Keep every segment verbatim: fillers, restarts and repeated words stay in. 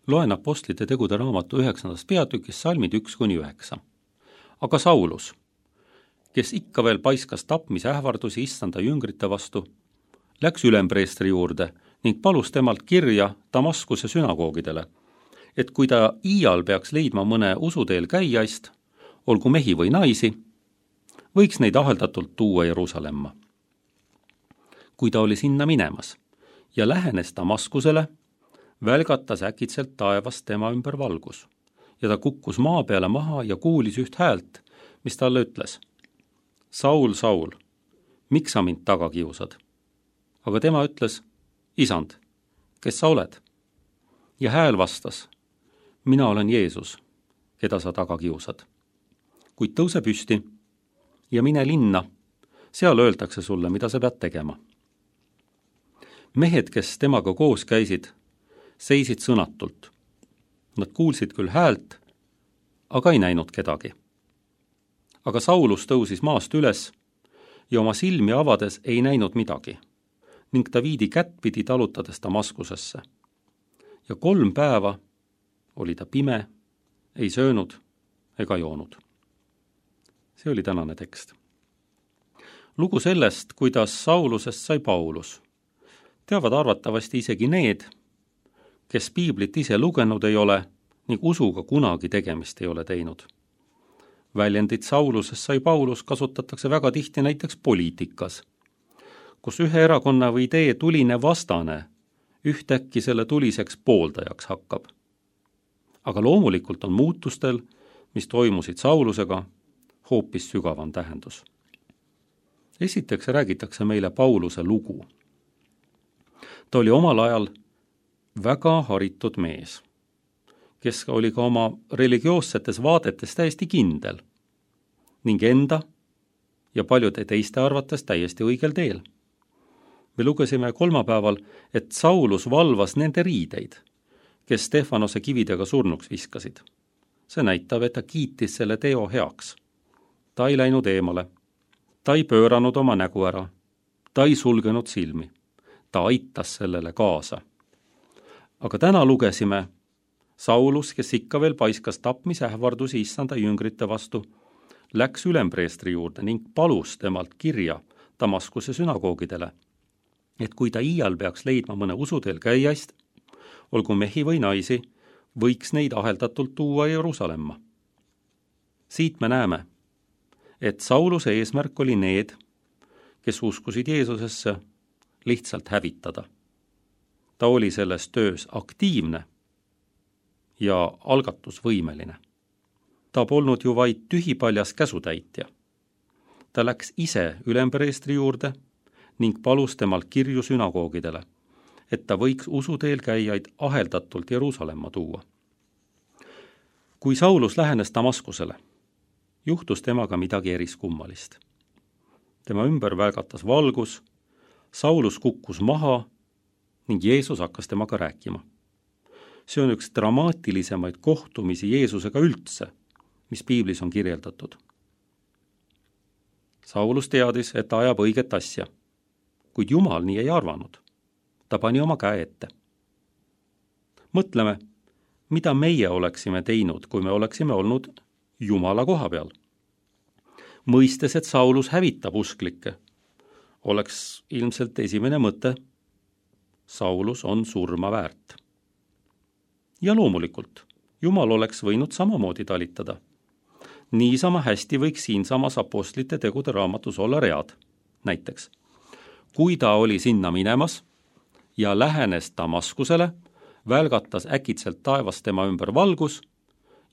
Loen Apostlite tegude raamatu üheksandast peatükist salmid üks kuni üheksa. Aga Saulus, kes ikka veel paiskas tapmise ähvardusi issanda jüngrite vastu, läks ülempreestri juurde ning palus temalt kirja Damaskuse sünagoogidele, et kui ta iial peaks leidma mõne usuteel käijaist, olgu mehi või naisi, võiks neid aheldatult tuua Jeruusalemma. Kui ta oli sinna minemas ja lähenes Damaskusele, välgatas äkitselt taevast tema ümber valgus ja ta kukkus maa peale maha ja kuulis üht häält, mis talle ütles: Saul, Saul, miks sa mind taga kiusad? Aga tema ütles: Isand, kes sa oled? Ja hääl vastas: mina olen Jeesus, keda sa taga kiusad. Kuid tõuse püsti ja mine linna, seal öeldakse sulle, mida sa pead tegema. Mehed, kes temaga koos käisid, seisid sõnatult. Nad kuulsid küll häält, aga ei näinud kedagi. Aga Saulus tõusis maast üles ja oma silmi avades ei näinud midagi ning ta viidi kättpidi talutades Damaskusesse. Ja kolm päeva oli ta pime, ei söönud ega joonud. See oli tänane tekst. Lugu sellest, kuidas Saulusest sai Paulus, teavad arvatavasti isegi need, kes piiblit ise lugenud ei ole ning usuga kunagi tegemist ei ole teinud. Väljendit Saulusest sai Paulus kasutatakse väga tihti näiteks poliitikas, kus ühe erakonna või idee tuline vastane ühtäkki selle tuliseks pooldajaks hakkab. Aga loomulikult on muutustel, mis toimusid Saulusega, hoopis sügavam tähendus. Esiteks räägitakse meile Pauluse lugu. Ta oli omal ajal väga haritud mees, kes oli ka oma religioossetes vaadetes täiesti kindel ning enda ja paljude teiste arvates täiesti õigel teel. Me lugesime kolmapäeval, et Saulus valvas nende riideid, kes Stefanose kividega surnuks viskasid. See näitab, et ta kiitis selle teo heaks. Ta ei läinud eemale, ta ei pööranud oma nägu ära, ta ei sulgenud silmi, ta aitas sellele kaasa. Aga täna lugesime, Saulus, kes ikka veel paiskas tapmisähvardusi issanda jüngrite vastu, läks ülempreestri juurde ning palus temalt kirja Damaskuse sünagoogidele, et kui ta iial peaks leidma mõne usuteel käijaist, olgu mehi või naisi, võiks neid aheldatult tuua Jeruusalemma. Siit me näeme, et Sauluse eesmärk oli need, kes uskusid Jeesusesse, lihtsalt hävitada. Ta oli selles töös aktiivne ja algatusvõimeline. Ta polnud ju vaid tühipaljas käsutäitja. Ta läks ise ülempreestri juurde ning palus temalt kirju sünagoogidele, et ta võiks usuteel käijaid aheldatult Jeruusalemma tuua. Kui Saulus lähenes Damaskusele, juhtus temaga midagi eriskummalist. Tema ümber välgatas valgus, Saulus kukkus maha ning Jeesus hakkas temaga rääkima. See on üks dramaatilisemaid kohtumisi Jeesusega üldse, mis piiblis on kirjeldatud. Saulus teadis, et ta ajab õiget asja, kuid Jumal nii ei arvanud. Ta pani oma käe ette. Mõtleme, mida meie oleksime teinud, kui me oleksime olnud Jumala koha peal. Mõistes, et Saulus hävitab usklikke, oleks ilmselt esimene mõte: Saulus on surma väärt. Ja loomulikult, Jumal oleks võinud samamoodi talitada. Niisama hästi võiks siinsamas Apostlite tegude raamatus olla read. Näiteks, kui ta oli sinna minemas ja lähenes Damaskusele, välgatas äkitselt taevas tema ümber valgus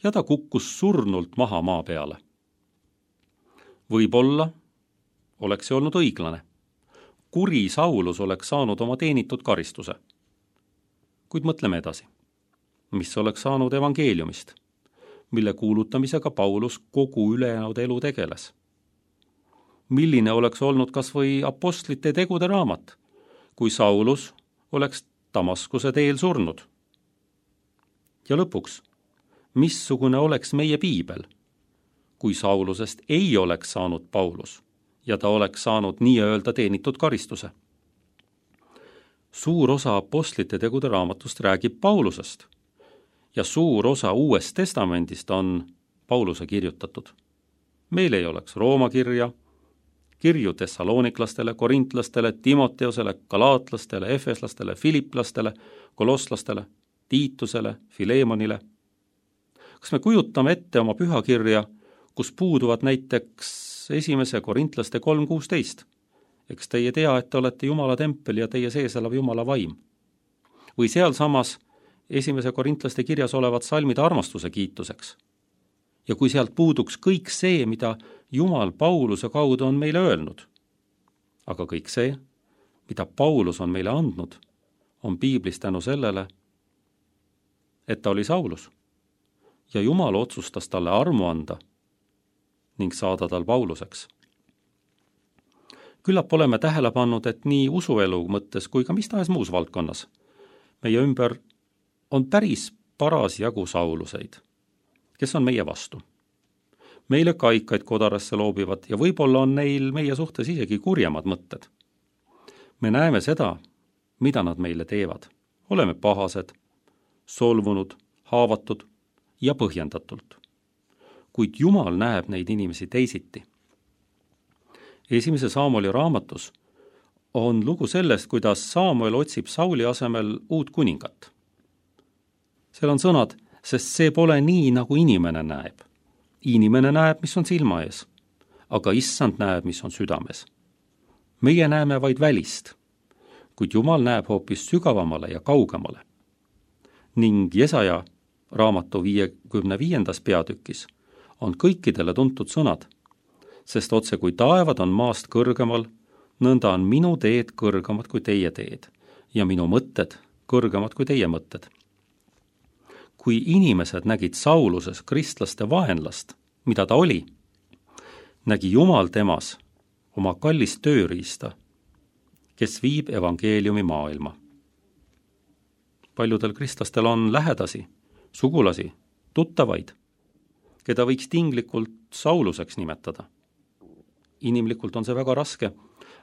ja ta kukkus surnult maha maa peale. Võib-olla oleks see olnud õiglane. Kuri Saulus oleks saanud oma teenitud karistuse. Kuid mõtleme edasi. Mis oleks saanud evangeeliumist, mille kuulutamisega Paulus kogu ülejäänud elu tegeles? Milline oleks olnud kas või Apostlite tegude raamat, kui Saulus oleks Damaskuse teel surnud? Ja lõpuks, missugune oleks meie piibel, kui Saulusest ei oleks saanud Paulus ja ta oleks saanud nii-öelda teenitud karistuse? Suur osa Apostlite tegude raamatust räägib Paulusest, ja suur osa Uuest Testamendist on Pauluse kirjutatud. Meil ei oleks Rooma kirja, kirju tessalooniklastele, korintlastele, Timoteosele, galaatlastele, efeslastele, filiplastele, kolosslastele, Tiitusele, Filemonile. Kas me kujutame ette oma pühakirja, kus puuduvad näiteks esimese korintlaste kolm kuusteist? Eks teie tea, et te olete Jumala tempel ja teie sees elab Jumala vaim. Või sealsamas esimese korintlaste kirjas olevad salmid armastuse kiituseks. Ja kui sealt puuduks kõik see, mida Jumal Pauluse kaudu on meile öelnud, aga kõik see, mida Paulus on meile andnud, on piiblis tänu sellele, et ta oli Saulus ja Jumal otsustas talle armu anda ning saada tal Pauluseks. Küllap oleme tähele pannud, et nii usuelu mõttes kui ka mis tahes muus valdkonnas meie ümber on päris paras jagu Sauluseid, kes on meie vastu. Meile kaikaid kodarasse loobivad ja võib-olla on neil meie suhtes isegi kurjemad mõtted. Me näeme seda, mida nad meile teevad. Oleme pahased, solvunud, haavatud ja põhjendatult. Kuid Jumal näeb neid inimesi teisiti. Esimese Saamueli raamatus on lugu sellest, kuidas Saamuel otsib Sauli asemel uut kuningat. Seal on sõnad, sest see pole nii, nagu inimene näeb. Inimene näeb, mis on silma ees, aga issand näeb, mis on südames. Meie näeme vaid välist, kuid Jumal näeb hoopis sügavamale ja kaugemale. Ning Jesaja raamatu viiekümne viiendas peatükis on kõikidele tuntud sõnad, sest otse kui taevad on maast kõrgemal, nõnda on minu teed kõrgemad kui teie teed ja minu mõtted kõrgemad kui teie mõtted. Kui inimesed nägid Sauluses kristlaste vaenlast, mida ta oli, nägi Jumal temas oma kallist tööriista, kes viib evangeeliumi maailma. Paljudel kristlastel on lähedasi, sugulasi, tuttavaid, keda võiks tinglikult Sauluseks nimetada. Inimlikult on see väga raske,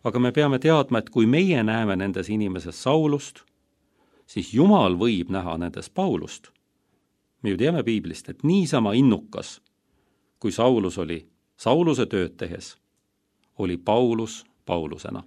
aga me peame teadma, et kui meie näeme nendes inimeses Saulust, siis Jumal võib näha nendes Paulust. Me ju teame piiblist, et niisama innukas, kui Saulus oli Sauluse tööd tehes, oli Paulus Paulusena.